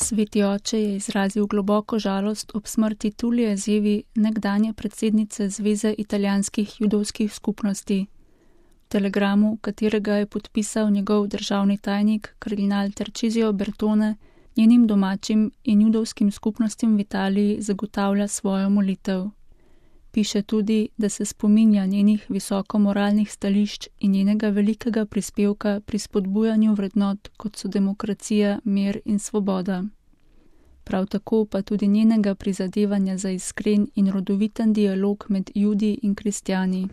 Sveti oče je izrazil globoko žalost ob smrti Tulije Zevi, nekdanje predsednice Zveze italijanskih judovskih skupnosti. V telegramu, katerega je podpisal njegov državni tajnik kardinal Tarcisio Bertone, njenim domačim in judovskim skupnostim v Italiji zagotavlja svojo molitev. Piše tudi, da se spominja njenih visoko moralnih stališč in njenega velikega prispevka pri spodbujanju vrednot, kot so demokracija, mir in svoboda. Prav tako pa tudi njenega prizadevanja za iskren in rodoviten dialog med Judi in kristjani.